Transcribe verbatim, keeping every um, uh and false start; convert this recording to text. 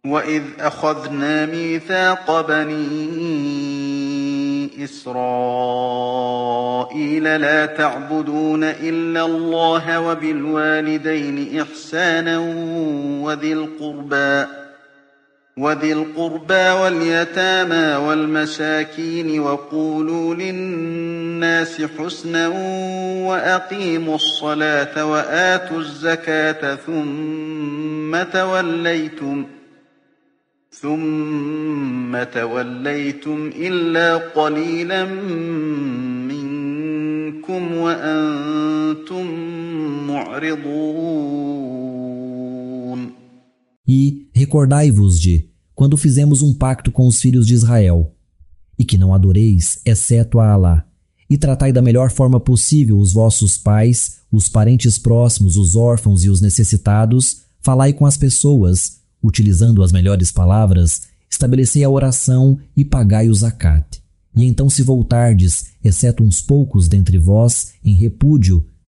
وَإِذْ أَخَذْنَا مِيثَاقَ بَنِي إِسْرَائِيلَ لَا تَعْبُدُونَ إِلَّا اللَّهَ وَبِالْوَالِدَيْنِ إِحْسَانًا وَذِي الْقُرْبَى وذي القربى واليتامى والمساكين وقولوا للناس حسنا وأقيموا الصلاة وآتوا الزكاة ثم توليتم ثم توليتم إلا قليلا منكم وأنتم معرضون. E recordai-vos de quando fizemos um pacto com os filhos de Israel, e que não adoreis, exceto a Alá, e tratai da melhor forma possível os vossos pais, os parentes próximos, os órfãos e os necessitados, falai com as pessoas, utilizando as melhores palavras, estabelecei a oração e pagai o zakat. E então se voltardes, exceto uns poucos dentre vós, em repúdio,